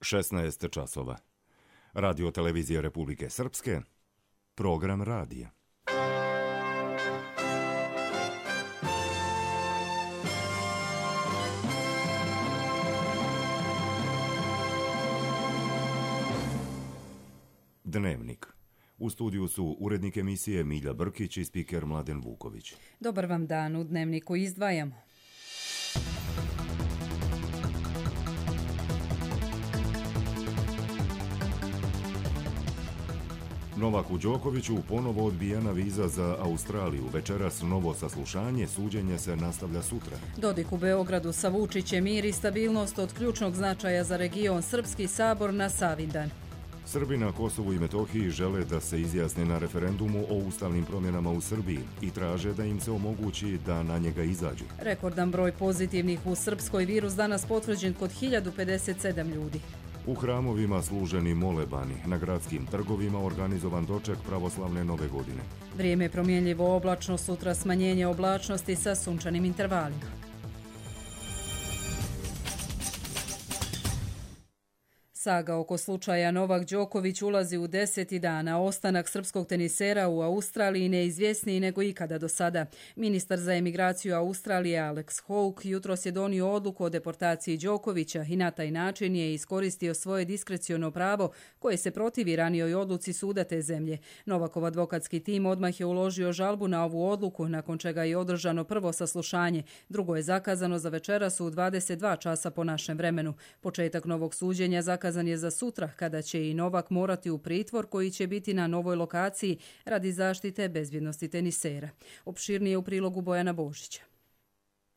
16 časova. Radio televizija Republike Srpske, program radija. Dnevnik. U studiju su urednik emisije Milja Brkić i spiker Mladen Vuković. Dobar vam dan, u Dnevniku izdvajamo. Novaku Đokoviću ponovo odbijena viza za Australiju. Večeras novo saslušanje, suđenje se nastavlja sutra. Dodik u Beogradu sa Vučićem, mir i stabilnost od ključnog značaja za region. Srpski sabor na Savindan. Srbi na Kosovu i Metohiji žele da se izjasne na referendumu o ustavnim promjenama u Srbiji i traže da im se omogući da na njega izađu. Rekordan broj pozitivnih u Srpskoj, virus danas potvrđen kod 1057 ljudi. U hramovima služeni molebani, na gradskim trgovima organizovan doček pravoslavne nove godine. Vrijeme promjenljivo oblačno, sutra smanjenje oblačnosti sa sunčanim intervalima. Saga oko slučaja Novak Đoković ulazi u 10. dana. Ostanak srpskog tenisera u Australiji neizvjesniji nego ikada do sada. Ministar za emigraciju Australije Alex Hawke jutros je donio odluku o deportaciji Đokovića i na taj način je iskoristio svoje diskreciono pravo koje se protivi ranijoj odluci suda te zemlje. Novakov advokatski tim odmah je uložio žalbu na ovu odluku, nakon čega je održano prvo saslušanje. Drugo je zakazano za večeras u 22 časa po našem vremenu. Početak novog suđenja zakazan je za sutra, kada će i Novak morati u pritvor koji će biti na novoj lokaciji radi zaštite bezbjednosti tenisera. Opširnije u prilogu Bojana Božića.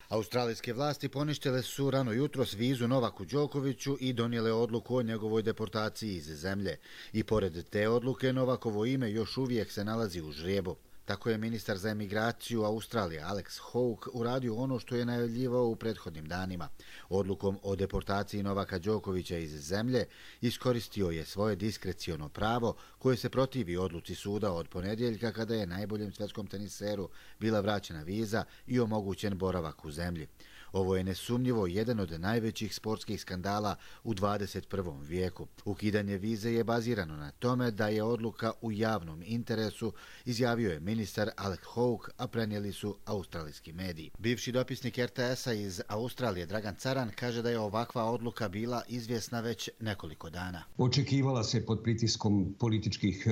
Australijske vlasti poništile su rano jutros vizu Novaku Đokoviću i donijele odluku o njegovoj deportaciji iz zemlje. I pored te odluke, Novakovo ime još uvijek se nalazi u ždrijebu. Tako je ministar za emigraciju Australije Alex Hawke uradio ono što je najavljivao u prethodnim danima. Odlukom o deportaciji Novaka Đokovića iz zemlje iskoristio je svoje diskreciono pravo koje se protivi odluci suda od ponedjeljka, kada je najboljem svjetskom teniseru bila vraćena viza i omogućen boravak u zemlji. Ovo je nesumnjivo jedan od najvećih sportskih skandala u 21. vijeku. Ukidanje vize je bazirano na tome da je odluka u javnom interesu, izjavio je ministar Alex Hawke, a prenijeli su australijski mediji. Bivši dopisnik RTS-a iz Australije Dragan Caran kaže da je ovakva odluka bila izvjesna već nekoliko dana. Očekivala se pod pritiskom političkih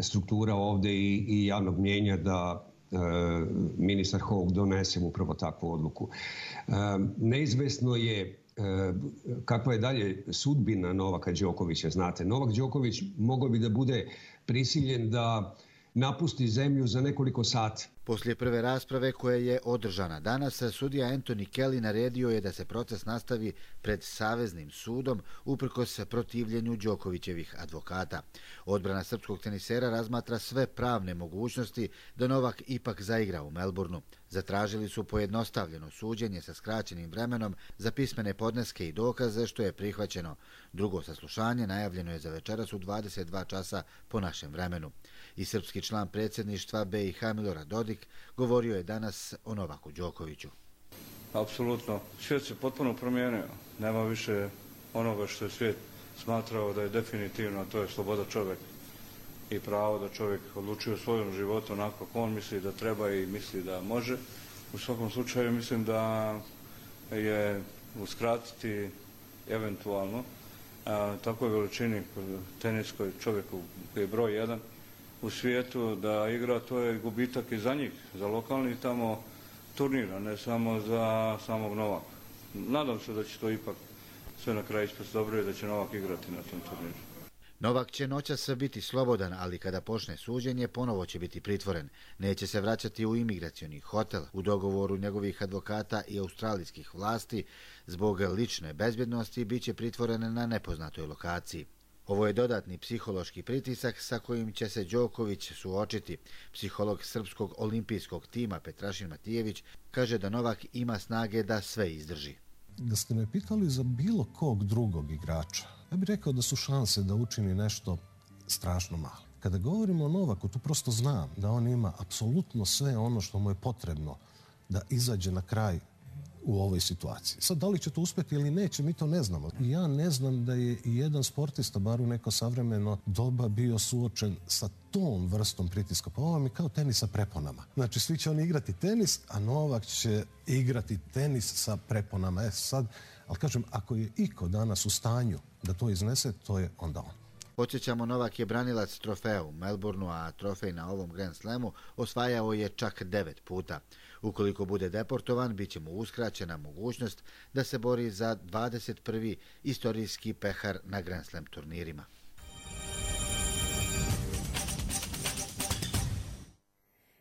struktura ovdje i javnog mnijenja da ministar Hawke donese upravo takvu odluku. Neizvesno je kakva je dalje sudbina Novaka Đokovića. Znate, Novak Đoković mogao bi da bude prisiljen da napusti zemlju za nekoliko sati. Poslije prve rasprave koja je održana danas, sudija Anthony Kelly naredio je da se proces nastavi pred Saveznim sudom uprkos protivljenju Đokovićevih advokata. Odbrana srpskog tenisera razmatra sve pravne mogućnosti da Novak ipak zaigra u Melbourneu. Zatražili su pojednostavljeno suđenje sa skraćenim vremenom za pismene podneske i dokaze, što je prihvaćeno. Drugo saslušanje najavljeno je za večeras u 22 časa po našem vremenu. I srpski član predsjedništva BiH Milorad Dodik govorio je danas o Novaku Đokoviću. Apsolutno. Svijet se potpuno promijenio. Nema više onoga što je svijet smatrao da je definitivno, a to je sloboda čovjeka i pravo da čovjek odlučuje o svojom životu onako kako on misli da treba i misli da može. U svakom slučaju mislim da je uskratiti eventualno takvoj veličini teniskoj čovjeku koji je broj 1 u svijetu da igra, to je gubitak i za njih, za lokalni tamo turnira, ne samo za samog Novaka. Nadam se da će to ipak sve na kraju ispast dobro i da će Novak igrati na tom turniru. Novak će noćas biti slobodan, ali kada počne suđenje ponovo će biti pritvoren. Neće se vraćati u imigracioni hotel. U dogovoru njegovih advokata i australijskih vlasti zbog lične bezbjednosti bit će pritvoren na nepoznatoj lokaciji. Ovo je dodatni psihološki pritisak sa kojim će se Đoković suočiti. Psiholog srpskog olimpijskog tima Petrašin Matijević kaže da Novak ima snage da sve izdrži. Da ste me pitali za bilo kog drugog igrača, ja bih rekao da su šanse da učini nešto strašno male. Kada govorimo o Novaku, tu prosto znam da on ima apsolutno sve ono što mu je potrebno da izađe na kraj u ovoj situaciji. Sad, da li će to uspjeti ili neće, mi to ne znamo. Ja ne znam da je i jedan sportista, bar u neko savremeno doba, bio suočen sa tom vrstom pritiska. Pa ovo mi kao tenis sa preponama. Znači, svi će oni igrati tenis, a Novak će igrati tenis sa preponama. Sad, ali kažem, ako je iko danas u stanju da to iznese, to je onda on. Podsjećamo, Novak je branilac trofeja u Melbourneu, a trofej na ovom Grand Slamu osvajao je čak 9 puta. Ukoliko bude deportovan, bit će mu uskraćena mogućnost da se bori za 21. istorijski pehar na Grand Slam turnirima.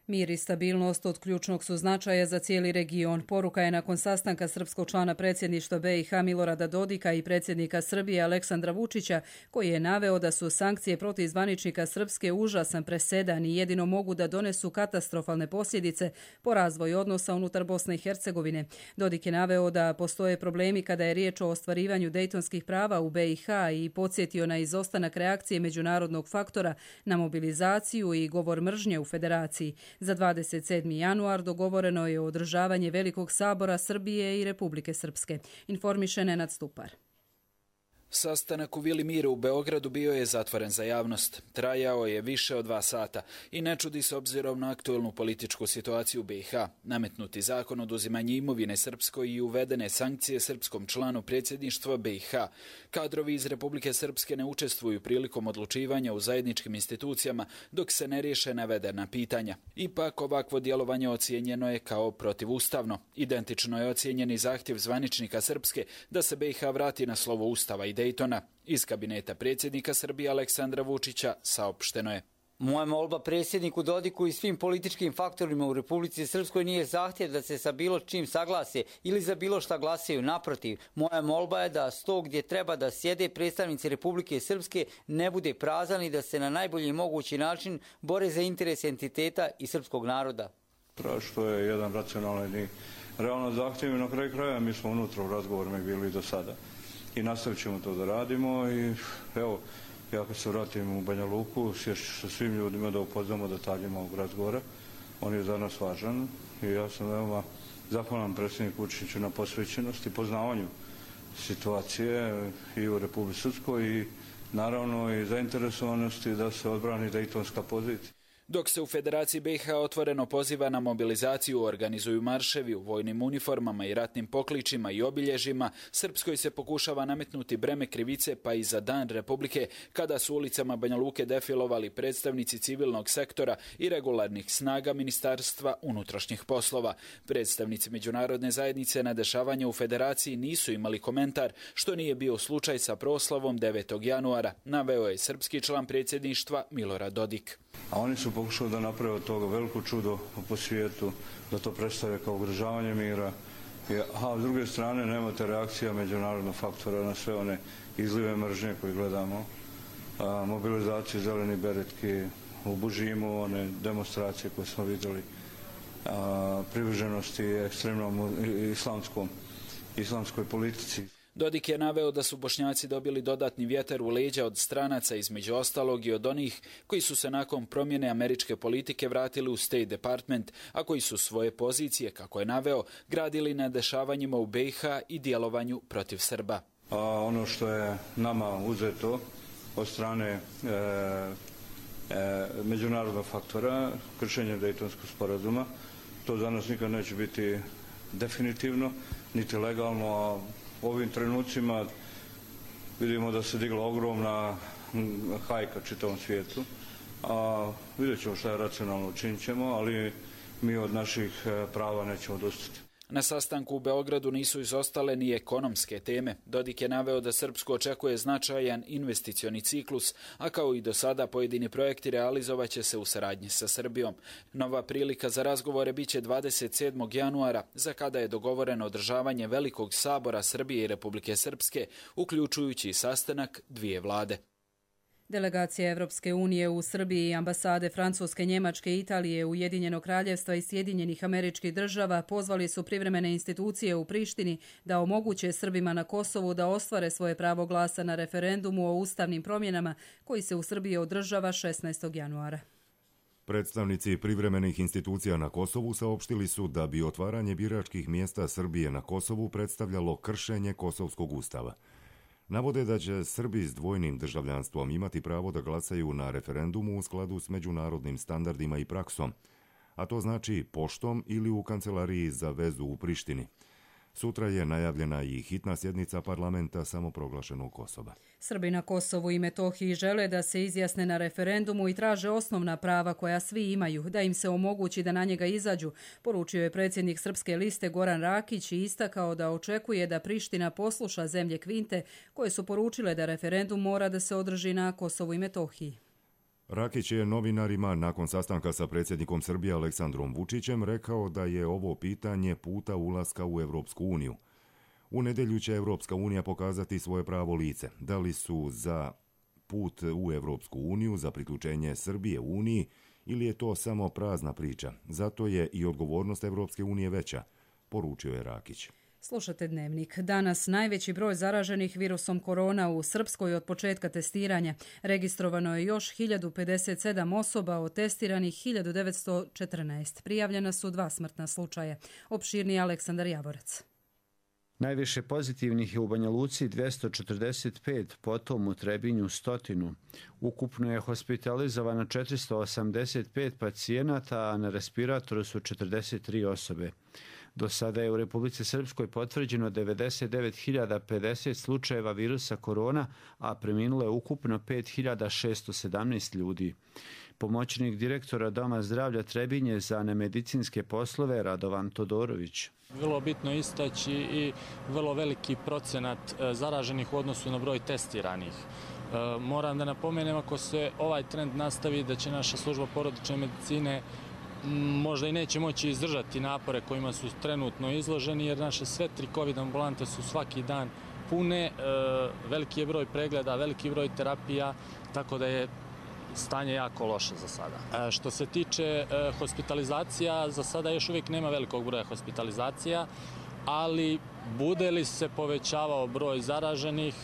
Mir i stabilnost od ključnog su značaja za cijeli region. Poruka je nakon sastanka srpskog člana predsjedništva BiH Milorada Dodika i predsjednika Srbije Aleksandra Vučića, koji je naveo da su sankcije protiv zvaničnika Srpske užasan presedan i jedino mogu da donesu katastrofalne posljedice po razvoju odnosa unutar Bosne i Hercegovine. Dodik je naveo da postoje problemi kada je riječ o ostvarivanju dejtonskih prava u BiH i podsjetio na izostanak reakcije međunarodnog faktora na mobilizaciju i govor mržnje u federaciji. Za 27. januar dogovoreno je održavanje Velikog sabora Srbije i Republike Srpske. Informiše Nenad Stupar. Sastanak u Vili Mira u Beogradu bio je zatvoren za javnost. Trajao je više od 2 sata i ne čudi se obzirom na aktuelnu političku situaciju u BiH. Nametnuti zakon o oduzimanju imovine Srpskoj i uvedene sankcije srpskom članu predsjedništva BiH. Kadrovi iz Republike Srpske ne učestvuju prilikom odlučivanja u zajedničkim institucijama dok se ne riješe navedena pitanja. Ipak ovakvo djelovanje ocijenjeno je kao protivustavno. Identično je ocijenjeni zahtjev zvaničnika Srpske da se BiH vrati na slovo Ustava i Dejtona. Iz kabineta predsjednika Srbije Aleksandra Vučića saopšteno je: Moja molba predsjedniku Dodiku i svim političkim faktorima u Republici Srpskoj nije zahtjev da se sa bilo čim saglase ili za bilo šta glasaju. Naprotiv, moja molba je da sto gdje treba da sjede predstavnici Republike Srpske ne bude prazan i da se na najbolji mogući način bore za interes entiteta i srpskog naroda. Što je jedan racionalan i realno zahtjev i na kraju kraja mi smo unutra u razgovorima bili do sada. I nastavit ćemo to da radimo i evo, ja kad se vratim u Banja Luku, sješću sa svim ljudima da upoznamo detaljima ovog razgovora. On je za nas važan i ja sam veoma zahvalan predsjedniku Vučiću na posvećenosti i poznavanju situacije i u Republici Srpskoj i naravno i zainteresovanosti da se odbrani dejtonska pozicija. Dok se u Federaciji BiH otvoreno poziva na mobilizaciju, organizuju marševi u vojnim uniformama i ratnim pokličima i obilježjima, Srpskoj se pokušava nametnuti breme krivice pa i za Dan Republike, kada su ulicama Banja Luke defilovali predstavnici civilnog sektora i regularnih snaga Ministarstva unutrašnjih poslova. Predstavnici međunarodne zajednice na dešavanje u Federaciji nisu imali komentar, što nije bio slučaj sa proslavom 9. januara, naveo je srpski član predsjedništva Milorad Dodik. A oni su pokušali da naprave od toga veliko čudo po svijetu, da to predstave kao ugrožavanje mira. A s druge strane nemate reakcija međunarodnog faktora na sve one izlive mržnje koje gledamo. Mobilizaciju zeleni beretki u Bužimu, one demonstracije koje smo vidjeli, privrženosti ekstremnom islamskoj politici. Dodik je naveo da su Bošnjaci dobili dodatni vjetar u leđa od stranaca, između ostalog i od onih koji su se nakon promjene američke politike vratili u State Department, a koji su svoje pozicije, kako je naveo, gradili na dešavanjima u BiH i djelovanju protiv Srba. Ono što je nama uzeto od strane međunarodnog faktora, kršenje Dejtonskog sporazuma, to za nas nikad neće biti definitivno, niti legalno, a u ovim trenucima vidimo da se digla ogromna hajka čitavom svijetu. Vidjet ćemo šta je racionalno, učinit ćemo, ali mi od naših prava nećemo odustati. Na sastanku u Beogradu nisu izostale ni ekonomske teme. Dodik je naveo da Srpsku očekuje značajan investicioni ciklus, a kao i do sada pojedini projekti realizovaće se u saradnji sa Srbijom. Nova prilika za razgovore biće 27. januara, za kada je dogovoreno održavanje Velikog sabora Srbije i Republike Srpske, uključujući i sastanak dvije vlade. Delegacija Evropske unije u Srbiji i ambasade Francuske, Njemačke, Italije, Ujedinjenog kraljevstva i Sjedinjenih Američkih Država pozvali su privremene institucije u Prištini da omoguće Srbima na Kosovu da ostvare svoje pravo glasa na referendumu o ustavnim promjenama koji se u Srbiji održava 16. januara. Predstavnici privremenih institucija na Kosovu saopštili su da bi otvaranje biračkih mjesta Srbije na Kosovu predstavljalo kršenje Kosovskog ustava. Navode da će Srbi s dvojnim državljanstvom imati pravo da glasaju na referendumu u skladu s međunarodnim standardima i praksom, a to znači poštom ili u kancelariji za vezu u Prištini. Sutra je najavljena i hitna sjednica parlamenta samoproglašenog Kosova. Srbi na Kosovu i Metohiji žele da se izjasne na referendumu i traže osnovna prava koja svi imaju, da im se omogući da na njega izađu, poručio je predsjednik Srpske liste Goran Rakić i istakao da očekuje da Priština posluša zemlje Kvinte koje su poručile da referendum mora da se održi na Kosovu i Metohiji. Rakić je novinarima nakon sastanka sa predsjednikom Srbije Aleksandrom Vučićem rekao da je ovo pitanje puta ulaska u Evropsku uniju. U nedjelju će Evropska unija pokazati svoje pravo lice. Da li su za put u Evropsku uniju, za priključenje Srbije u Uniji ili je to samo prazna priča. Zato je i odgovornost Evropske unije veća, poručio je Rakić. Slušate Dnevnik. Danas najveći broj zaraženih virusom korona u Srpskoj od početka testiranja. Registrovano je još 1057 osoba, od testiranih 1914. Prijavljena su 2 smrtna slučaja. Opširniji Aleksandar Javorac. Najviše pozitivnih je u Banja Luci 245, potom u Trebinju 100. Ukupno je hospitalizovano 485 pacijenata, a na respiratoru su 43 osobe. Do sada je u Republici Srpskoj potvrđeno 99.050 slučajeva virusa korona, a preminulo je ukupno 5.617 ljudi. Pomoćnik direktora Doma zdravlja Trebinje za nemedicinske poslove Radovan Todorović. Vrlo bitno istaći i vrlo veliki procenat zaraženih u odnosu na broj testiranih. Moram da napomenem, ako se ovaj trend nastavi, da će naša služba porodične medicine možda i neće moći izdržati napore kojima su trenutno izloženi, jer naše sve 3 COVID ambulante su svaki dan pune, veliki je broj pregleda, veliki broj terapija, tako da je stanje jako loše za sada. Što se tiče hospitalizacija, za sada još uvijek nema velikog broja hospitalizacija, ali bude li se povećavao broj zaraženih,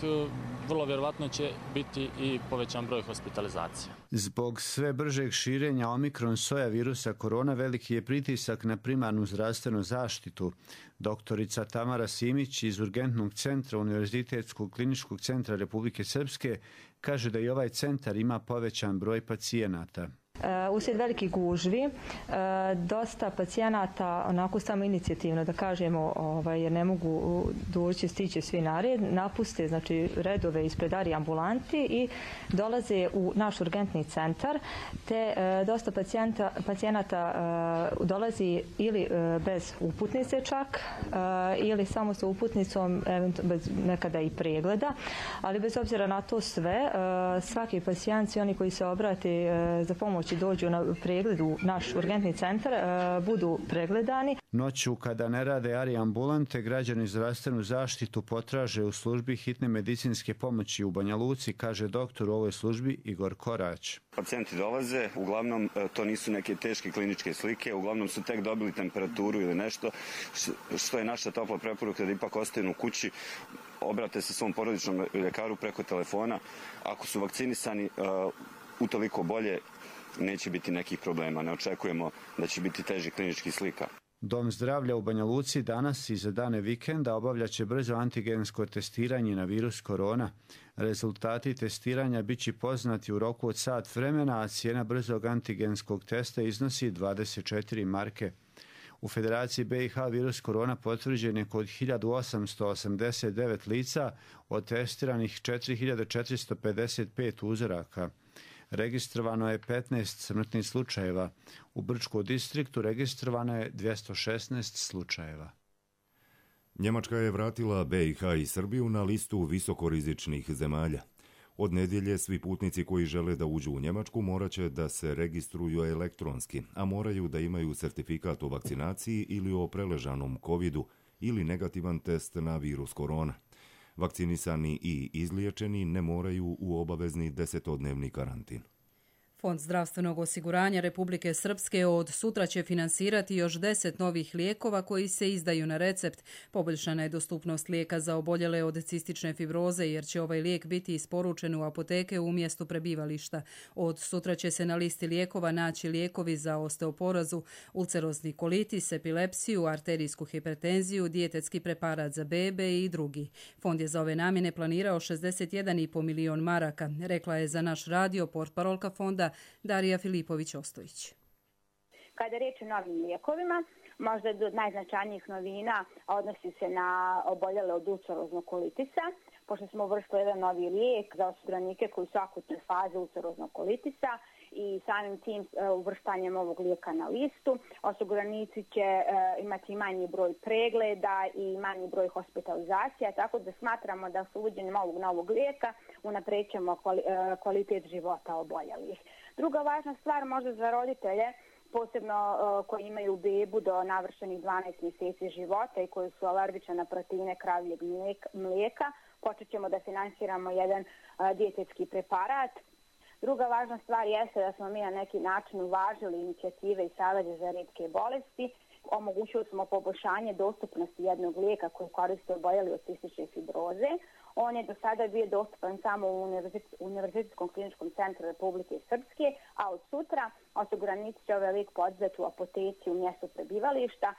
vrlo vjerovatno će biti i povećan broj hospitalizacija. Zbog sve bržeg širenja omikron soja virusa korona veliki je pritisak na primarnu zdravstvenu zaštitu. Doktorica Tamara Simić iz Urgentnog centra Univerzitetskog kliničkog centra Republike Srpske kaže da i ovaj centar ima povećan broj pacijenata. Uslijed velikih gužvi, dosta pacijenata onako samo inicijativno, da kažemo, jer ne mogu doći, stići svi na red, napuste znači redove ispred arije ambulanti i dolaze u naš urgentni centar, te dosta pacijenata dolazi ili bez uputnice čak, ili samo sa uputnicom, bez nekada i pregleda, ali bez obzira na to sve, svaki pacijent i oni koji se obrate za pomoć i dođu na pregled u naš urgentni centar, budu pregledani. Noću kada ne rade arije ambulante, građani zdravstvenu zaštitu potraže u službi hitne medicinske pomoći u Banja Luci, kaže doktor u ovoj službi Igor Korać. Pacijenti dolaze, uglavnom to nisu neke teške kliničke slike, uglavnom su tek dobili temperaturu ili nešto, što je naša topla preporuka da ipak ostanu u kući, obrate se svom porodičnom ljekaru preko telefona. Ako su vakcinisani, utoliko bolje, neće biti nekih problema. Ne očekujemo da će biti težih kliničkih slika. Dom zdravlja u Banja Luci danas i za dane vikenda obavljaće brzo antigensko testiranje na virus korona. Rezultati testiranja bit će poznati u roku od sat vremena, a cijena brzog antigenskog testa iznosi 24 marke. U Federaciji BiH virus korona potvrđen je kod 1889 lica, od testiranih 4455 uzoraka. Registrovano je 15 smrtnih slučajeva. U Brčkom distriktu registrovano je 216 slučajeva. Njemačka je vratila BiH i Srbiju na listu visokorizičnih zemalja. Od nedjelje svi putnici koji žele da uđu u Njemačku morat će da se registruju elektronski, a moraju da imaju sertifikat o vakcinaciji ili o preležanom covidu ili negativan test na virus korona. Vakcinisani i izliječeni ne moraju u obavezni 10-dnevni karantin. Fond zdravstvenog osiguranja Republike Srpske od sutra će finansirati još 10 novih lijekova koji se izdaju na recept. Poboljšana je dostupnost lijeka za oboljele od cistične fibroze jer će ovaj lijek biti isporučen u apoteke u mjestu prebivališta. Od sutra će se na listi lijekova naći lijekovi za osteoporozu, ulcerozni kolitis, epilepsiju, arterijsku hipertenziju, dijetetski preparat za bebe i drugi. Fond je za ove namjene planirao 61,5 milion maraka, rekla je za naš radio portparolka fonda Darija Filipović-Ostojić. Kada je riječ o novim lijekovima, možda od najznačajnijih novina odnosi se na oboljele od ulceroznog kolitisa, pošto smo uvrstili jedan novi lijek za osiguranike koji su akutne faze ulceroznog kolitisa i samim tim uvrštanjem ovog lijeka na listu osiguranici će imati manji broj pregleda i manji broj hospitalizacija, tako da smatramo da s uvođenjem ovog novog lijeka unapređujemo kvalitet života oboljelih. Druga važna stvar možda za roditelje, posebno koji imaju bebu do navršenih 12 mjeseci života i koji su alergični na proteine kravljeg mlijeka, počet ćemo da finansiramo jedan dijetetski preparat. Druga važna stvar jeste da smo mi na neki način uvažili inicijative i saveze za rijetke bolesti. Omogućili smo poboljšanje dostupnosti jednog lijeka koji koriste oboljeli od cistične fibroze. On je do sada bio dostupan samo u Univerzitetskom kliničkom centru Republike Srpske, a od sutra osiguranici će ovaj lijek podizati u apoteci u mjestu prebivališta.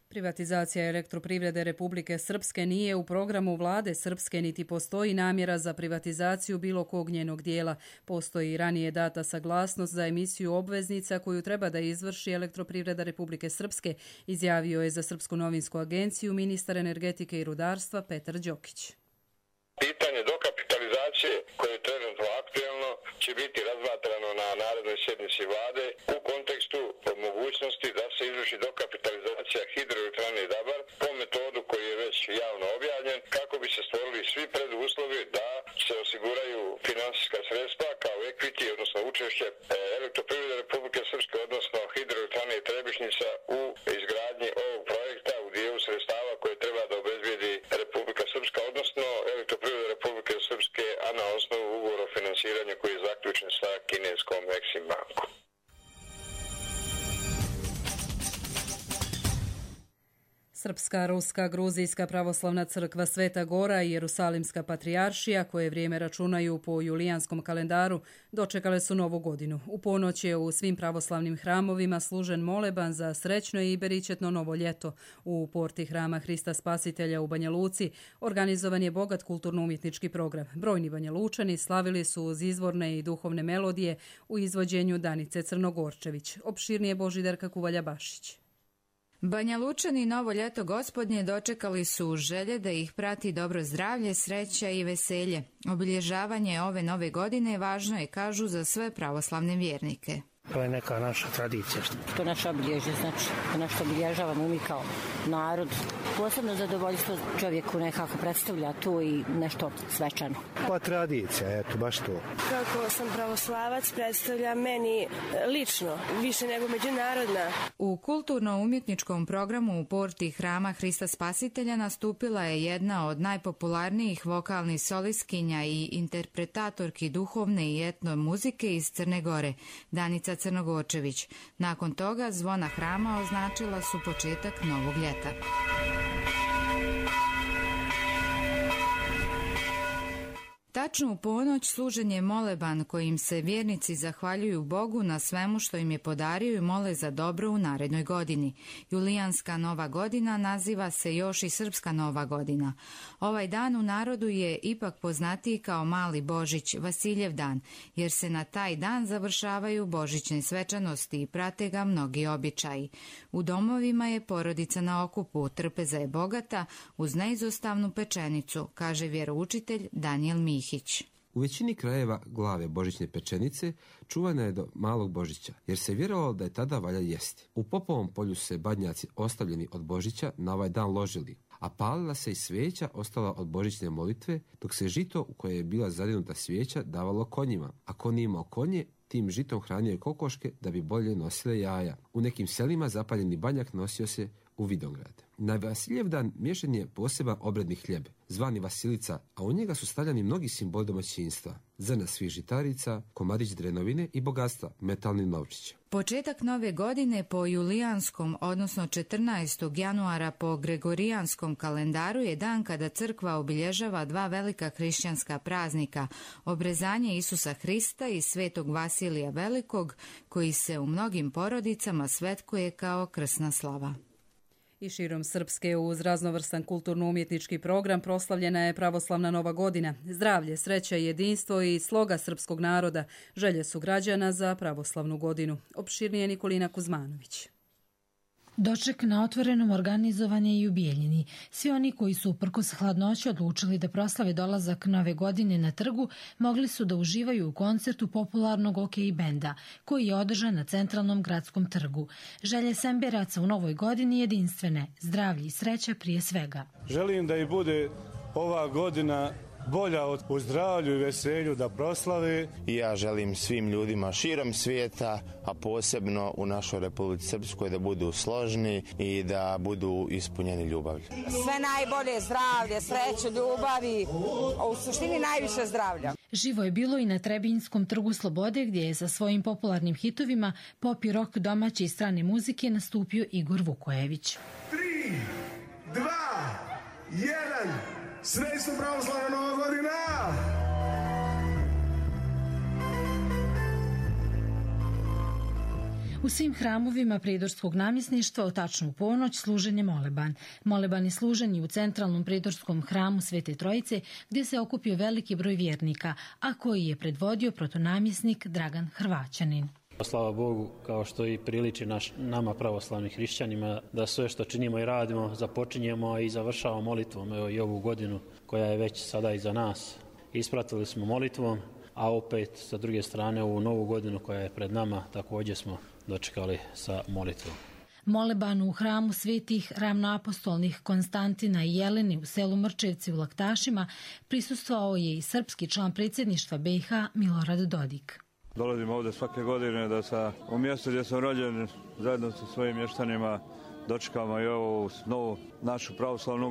Privatizacija elektroprivrede Republike Srpske nije u programu vlade Srpske niti postoji namjera za privatizaciju bilo kog njenog dijela. Postoji ranije data saglasnost za emisiju obveznica koju treba da izvrši elektroprivreda Republike Srpske, izjavio je za Srpsku novinsku agenciju ministar energetike i rudarstva Petar Đokić. Pitanje dokapitalizacije koje je trenutno aktuelno će biti razmatrano na narednoj sjednici vlade u kontekstu mogućnosti da se izvrši dokapitalizacija hidroelektrane Dabar po metodu koji je već javno objavljen kako bi se stvorili svi preduslovi da se osiguraju finansijska sredstva kao equity, odnosno učešće elektroprivrede Republike Srpske, odnosno hidroelektrane Trebišnjica u izgradnji ovog projekta u dijelu sredstava koje treba da obezbijedi Republika Srpska, odnosno elektroprivreda Republike Srpske, a na osnovu ugovora o finansiranju koji je zaključen sa kineskom Exim bankom. Srpska, Ruska, Gruzijska pravoslavna crkva Sveta Gora i Jerusalimska patrijaršija, koje vrijeme računaju po julijanskom kalendaru, dočekale su novu godinu. U ponoć je u svim pravoslavnim hramovima služen moleban za srećno i beričetno novo ljeto. U porti hrama Hrista Spasitelja u Banja Luci organizovan je bogat kulturno-umjetnički program. Brojni Banja Lučani slavili su uz izvorne i duhovne melodije u izvođenju Danice Crnogorčević. Opširnije Božidarka Kuvalja-Bašić. Banja Lučani novo ljeto gospodnje dočekali su u želje da ih prati dobro zdravlje, sreća i veselje. Obilježavanje ove nove godine važno je, kažu, za sve pravoslavne vjernike. To je neka naša tradicija. To je naše obilježje, znači nešto obilježavamo mi kao narod. Posebno zadovoljstvo čovjeku nekako predstavlja tu i nešto svečano. Pa tradicija, eto, baš to. Kako sam pravoslavac predstavlja meni lično, više nego međunarodna. U kulturno-umjetničkom programu u porti hrama Hrista Spasitelja nastupila je jedna od najpopularnijih vokalnih solistkinja i interpretatorki duhovne i etno muzike iz Crne Gore, Danica Crnogorčević. Nakon toga zvona hrama označila su početak novog ljeta. Tačno u ponoć služen je moleban kojim se vjernici zahvaljuju Bogu na svemu što im je podario i mole za dobro u narednoj godini. Julijanska nova godina naziva se još i Srpska nova godina. Ovaj dan u narodu je ipak poznatiji kao Mali Božić, Vasiljev dan, jer se na taj dan završavaju božićne svečanosti i prate ga mnogi običaji. U domovima je porodica na okupu, trpeza je bogata uz neizostavnu pečenicu, kaže vjeroučitelj Danijel Mihić. U većini krajeva glave božićne pečenice čuvana je do malog Božića, jer se vjerovalo da je tada valja jesti. U Popovom polju se badnjaci ostavljeni od Božića na ovaj dan ložili, a palila se i svijeća ostala od božićne molitve, dok se žito u koje je bila zadinuta svijeća davalo konjima, a ko nije imao konje, tim žitom hranio je kokoške da bi bolje nosile jaja. U nekim selima zapaljeni banjak nosio se u Vidograd. Na Vasiljevdan miješan je poseban obredni hljeb, zvani vasilica, a u njega su stavljani mnogi simboli domaćinstva, zrna svih žitarica, komadić drenovine i bogatstva, metalni novčić. Početak nove godine po julijanskom, odnosno 14. januara po gregorijanskom kalendaru je dan kada crkva obilježava dva velika hrišćanska praznika, obrezanje Isusa Hrista i svetog Vasilija Velikog, koji se u mnogim porodicama svetkuje kao krsna slava. I širom Srpske uz raznovrstan kulturno-umjetnički program proslavljena je pravoslavna Nova godina. Zdravlje, sreća, jedinstvo i sloga srpskog naroda želje su građana za pravoslavnu godinu. Opširnije Nikolina Kuzmanović. Doček na otvorenom organizovan je i u Bijeljini. Svi oni koji su uprkos hladnoći odlučili da proslave dolazak Nove godine na trgu, mogli su da uživaju u koncertu popularnog OK benda, koji je održan na centralnom gradskom trgu. Želje Semberaca u Novoj godini jedinstvene, zdravlje i sreća prije svega. Želim da i bude ova godina bolja u zdravlju i veselju da proslave. I ja želim svim ljudima širom svijeta, a posebno u našoj Republici Srpskoj, da budu složni i da budu ispunjeni ljubavlju. Sve najbolje, zdravlje, sreću, ljubavi, u suštini najviše zdravlja. Živo je bilo i na Trebinjskom trgu Slobode, gdje je sa svojim popularnim hitovima pop i rock domaće i strane muzike nastupio Igor Vukojević. 3, 2, 1... Srećna pravoslavna Nova godina! U svim hramovima pridorskog namjesništva u tačnu ponoć služen je moleban. Moleban je služen i u centralnom pridorskom hramu Svete Trojice, gdje se okupio veliki broj vjernika, a koji je predvodio protonamjesnik Dragan Hrvaćanin. Slava Bogu, kao što i priliči nama pravoslavnim hrišćanima, da sve što činimo i radimo započinjemo i završavamo molitvom. Evo i ovu godinu koja je već sada iza nas. Ispratili smo molitvom, a opet sa druge strane ovu novu godinu koja je pred nama također smo dočekali sa molitvom. Molebanu u hramu svetih ravnoapostolnih Konstantina i Jeleni u selu Mrčevci u Laktašima prisustvovao je i srpski član predsjedništva BiH Milorad Dodik. Dolazim ovdje svake godine da u mjestu gdje sam rođen zajedno sa svojim mještanima dočekamo i ovu novu našu pravoslavnu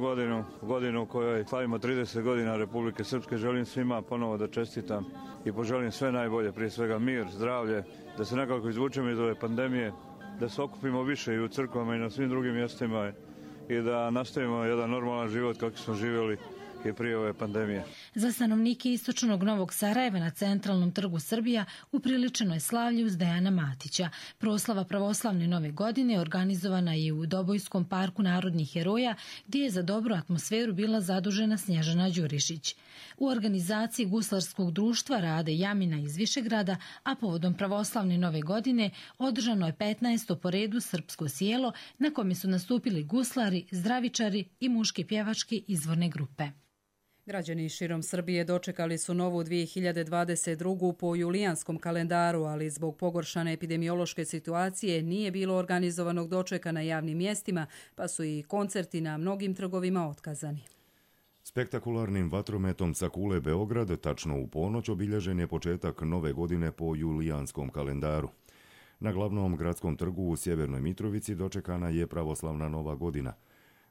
godinu u kojoj slavimo 30 godina Republike Srpske. Želim svima ponovo da čestitam i poželim sve najbolje, prije svega mir, zdravlje, da se nekako izvučemo iz ove pandemije, da se okupimo više i u crkvama i na svim drugim mjestima i da nastavimo jedan normalan život kako smo živjeli i prije ove pandemije. Za stanovnike istočnog Novog Sarajeva na centralnom trgu Srbija upriličeno je slavlje uz Dejana Matića. Proslava pravoslavne Nove godine organizovana je u Dobojskom parku narodnih heroja, gdje je za dobru atmosferu bila zadužena Snježana Đurišić. U organizaciji Guslarskog društva rade Jamina iz Višegrada, a povodom pravoslavne Nove godine održano je 15. po redu srpsko sjelo na kome su nastupili guslari, zdravičari i muške pjevačke izvorne grupe. Građani širom Srbije dočekali su novu 2022. po julijanskom kalendaru, ali zbog pogoršane epidemiološke situacije nije bilo organizovanog dočeka na javnim mjestima, pa su i koncerti na mnogim trgovima otkazani. Spektakularnim vatrometom sa kule Beograd tačno u ponoć obilježen je početak nove godine po julijanskom kalendaru. Na glavnom gradskom trgu u Sjevernoj Mitrovici dočekana je pravoslavna Nova godina.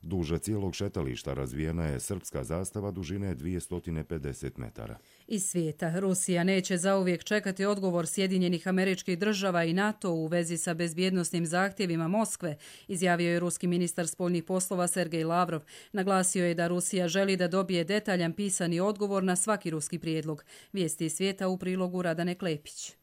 Duže cijelog šetališta razvijena je srpska zastava dužine 250 metara. Iz svijeta Rusija neće zauvijek čekati odgovor Sjedinjenih Američkih Država i NATO u vezi sa bezbjednosnim zahtjevima Moskve, izjavio je ruski ministar spoljnih poslova Sergej Lavrov. Naglasio je da Rusija želi da dobije detaljan pisani odgovor na svaki ruski prijedlog. Vijesti iz svijeta u prilogu Radane Klepić.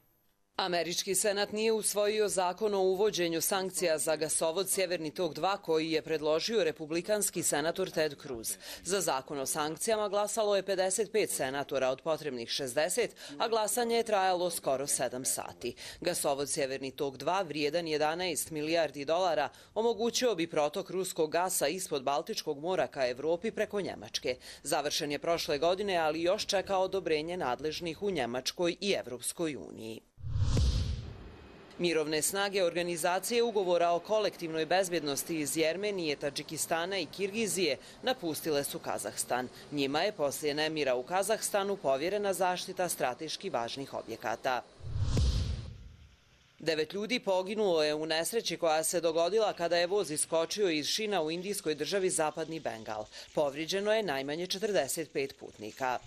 Američki senat nije usvojio zakon o uvođenju sankcija za gasovod Sjeverni tok 2 koji je predložio republikanski senator Ted Cruz. Za zakon o sankcijama glasalo je 55 senatora od potrebnih 60, a glasanje je trajalo skoro 7 sati. Gasovod Sjeverni tok 2, vrijedan 11 milijardi dolara, omogućio bi protok ruskog gasa ispod Baltičkog mora ka Evropi preko Njemačke. Završen je prošle godine, ali još čeka odobrenje nadležnih u Njemačkoj i Evropskoj uniji. Mirovne snage organizacije ugovora o kolektivnoj bezbjednosti iz Jermenije, Tadžikistana i Kirgizije napustile su Kazahstan. Njima je poslije nemira u Kazahstanu povjerena zaštita strateški važnih objekata. 9 ljudi poginulo je u nesreći koja se dogodila kada je voz iskočio iz šina u indijskoj državi Zapadni Bengal. Povrijeđeno je najmanje 45 putnika.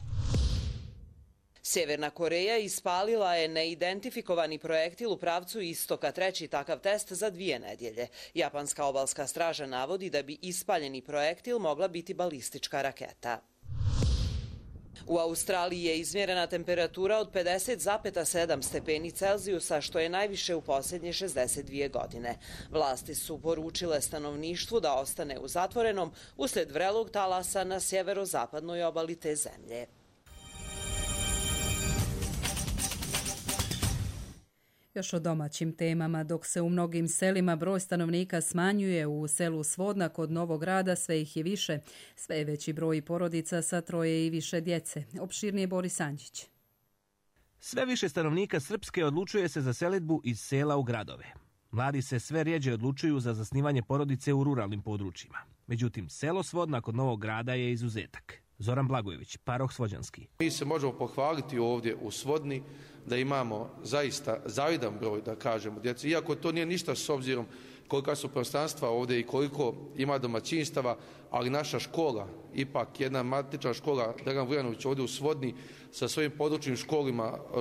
Sjeverna Koreja ispalila je neidentifikovani projektil u pravcu istoka, treći takav test za 2 nedjelje. Japanska obalska straža navodi da bi ispaljeni projektil mogla biti balistička raketa. U Australiji je izmjerena temperatura od 50,7 stepeni Celzijusa, što je najviše u posljednje 62 godine. Vlasti su poručile stanovništvu da ostane u zatvorenom uslijed vrelog talasa na sjeverozapadnoj obali te zemlje. Još o domaćim temama, dok se u mnogim selima broj stanovnika smanjuje, u selu Svodna kod Novog Grada sve ih je više. Sve je veći broj porodica sa 3 i više djece. Opširnije Boris Anđić. Sve više stanovnika Srpske odlučuje se za selidbu iz sela u gradove. Mladi se sve rjeđe odlučuju za zasnivanje porodice u ruralnim područjima. Međutim, selo Svodna kod Novog Grada je izuzetak. Zoran Blagojević, paroh Svođanski. Mi se možemo pohvaliti ovdje u Svodni da imamo zaista zavidan broj, da kažemo, djece. Iako to nije ništa s obzirom kolika su prostranstva ovdje i koliko ima domaćinstava, ali naša škola, ipak jedna matična škola Dragan Vujanović ovdje u Svodni sa svojim područnim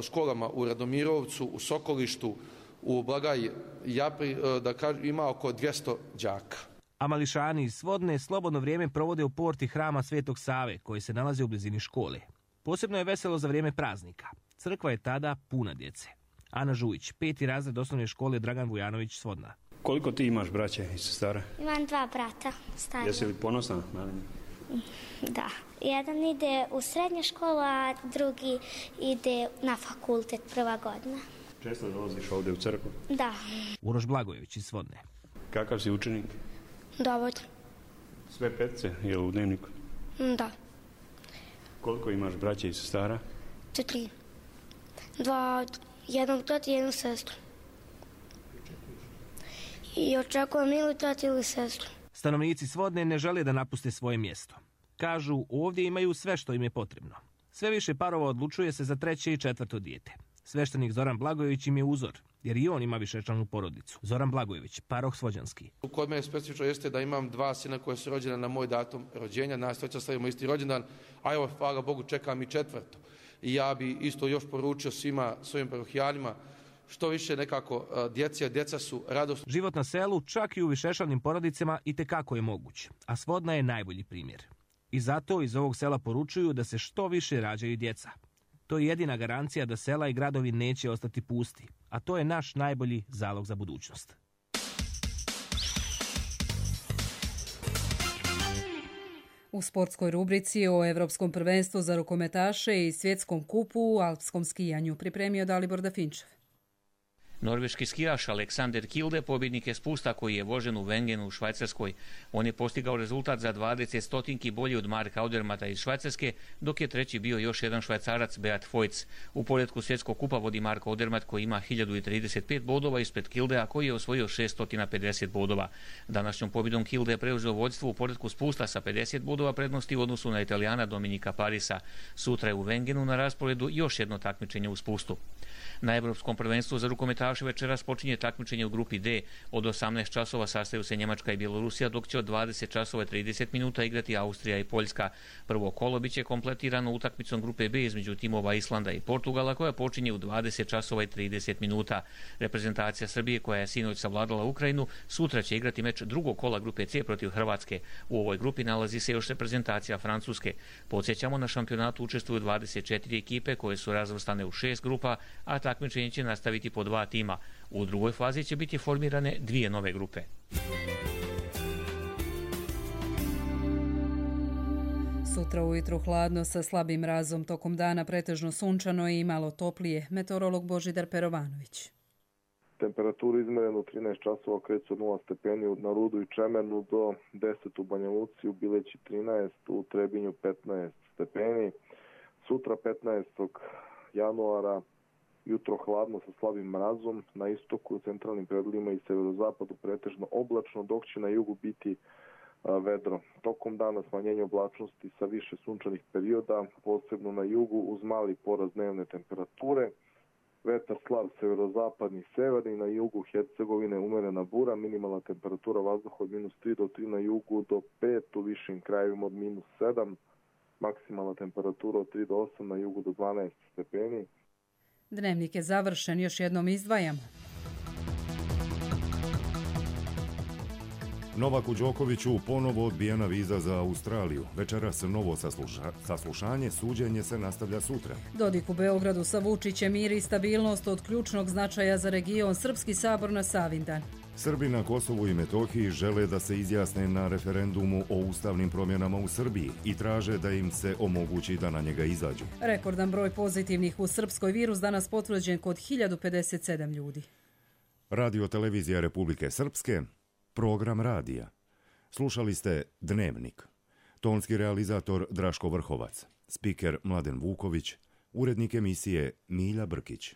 školama u Radomirovcu, u Sokolištu, u Blagaj Japri, da kažem, ima oko 200 đaka. A mališani iz Svodne slobodno vrijeme provode u porti hrama Svetog Save, koji se nalazi u blizini škole. Posebno je veselo za vrijeme praznika. Crkva je tada puna djece. Ana Žujić, 5. razred osnovne škole Dragan Vujanović, Svodna. Koliko ti imaš braće i sestara? Imam 2 brata. Stariji. Jesi li ponosna na njih? Da. Jedan ide u srednju školu, a drugi ide na fakultet, 1. godina. Često dolaziš ovdje u crkvu? Da. Uroš Blagojević iz Svodne. Kakav si učenik? Dovoljno. Sve 5 je u dnevniku? Da. Koliko imaš braće i sestara? 4. 2, jednog tata i jednu sestru. I očekujem ili tata ili sestru. Stanovnici Svodne ne žele da napuste svoje mjesto. Kažu, ovdje imaju sve što im je potrebno. Sve više parova odlučuje se za 3. i 4. dijete. Sveštenik Zoran Blagojević im je uzor, jer i on ima višečlanu porodicu. Zoran Blagojević, paroh Svođanski. Kod mene specifično jeste da imam 2 sina koje su rođena na moj datum rođenja, nas treća slavimo isti rođendan, a evo, hvala Bogu, čekam i 4. I ja bi isto još poručio svima svojim parohijanima što više nekako djeca su radost. Život na selu, čak i u višečlanim porodicama, itekako je moguć, a Svodna je najbolji primjer. I zato iz ovog sela poručuju da se što više rađaju djeca. To je jedina garancija da sela i gradovi neće ostati pusti, a to je naš najbolji zalog za budućnost. U sportskoj rubrici o Evropskom prvenstvu za rukometaše i svjetskom kupu u alpskom skijanju pripremio Dalibor Dafinčev. Norveški skijaš Alexander Kilde pobjednik je spusta koji je vožen u Wengenu u Švajcarskoj. On je postigao rezultat za 20 stotinki bolji od Marka Odermata iz Švajcarske, dok je treći bio još jedan Švajcarac Beat Feuz. U poretku svjetskog kupa vodi Marko Odermat koji ima 1035 bodova ispred Kildea koji je osvojio 650 bodova. Današnjom pobjedom Kilde je preuzeo vođstvo u poretku spusta sa 50 bodova prednosti u odnosu na Italijana Dominika Parisa. Sutra je u Wengenu na rasporedu još jedno takmičenje u spustu. Na Evropskom prvenstvu za rukometaše večeras počinje takmičenje u grupi D. Od 18 časova sastaju se Njemačka i Bjelorusija, dok će od 20 časova 30 minuta igrati Austrija i Poljska. Prvo kolo biće kompletirano utakmicom grupe B između timova Islanda i Portugala, koja počinje u 20 časova i 30 minuta. Reprezentacija Srbije, koja je sinoć savladala Ukrajinu, sutra će igrati meč drugog kola grupe C protiv Hrvatske. U ovoj grupi nalazi se još reprezentacija Francuske. Podsjećamo, na šampionatu učestvuju 24 ekipe koje su razvrstane u 6 grupa, a takmičenje će nastaviti po 2 tima. U drugoj fazi će biti formirane 2 nove grupe. Sutra ujutru hladno sa slabim mrazom, tokom dana pretežno sunčano i malo toplije. Meteorolog Božidar Perovanović. Temperaturu izmerenu u 13 časova kreću od 0 stepeni na Rudu i Čemenu do 10 u Banja Luci, u Bileći 13, u Trebinju 15 stepeni. Sutra 15. januara jutro hladno sa slabim mrazom, na istoku, u centralnim predelima i severozapadu pretežno oblačno, dok će na jugu biti vedro. Tokom dana smanjenje oblačnosti sa više sunčanih perioda, posebno na jugu uz mali porast dnevne temperature. Vetar slab severozapadni severni, na jugu Hercegovine umerena bura, minimalna temperatura vazduha od -3 do 3 na jugu do 5, u višim krajevima od -7, maksimalna temperatura od 3 do 8, na jugu do 12 stepeni. Dnevnik je završen, još jednom izdvajamo. Novaku Đokoviću ponovo odbijena viza za Australiju. Večeras novo saslušanje, suđenje se nastavlja sutra. Dodik u Beogradu sa Vučićem, mir i stabilnost od ključnog značaja za region, Srpski sabor na Savindan. Srbi na Kosovu i Metohiji žele da se izjasne na referendumu o ustavnim promjenama u Srbiji i traže da im se omogući da na njega izađu. Rekordan broj pozitivnih u Srpskoj, virus danas potvrđen kod 1057 ljudi. Radio televizija Republike Srpske, program radija. Slušali ste Dnevnik. Tonski realizator Draško Vrhovac, spiker Mladen Vuković, urednik emisije Milja Brkić.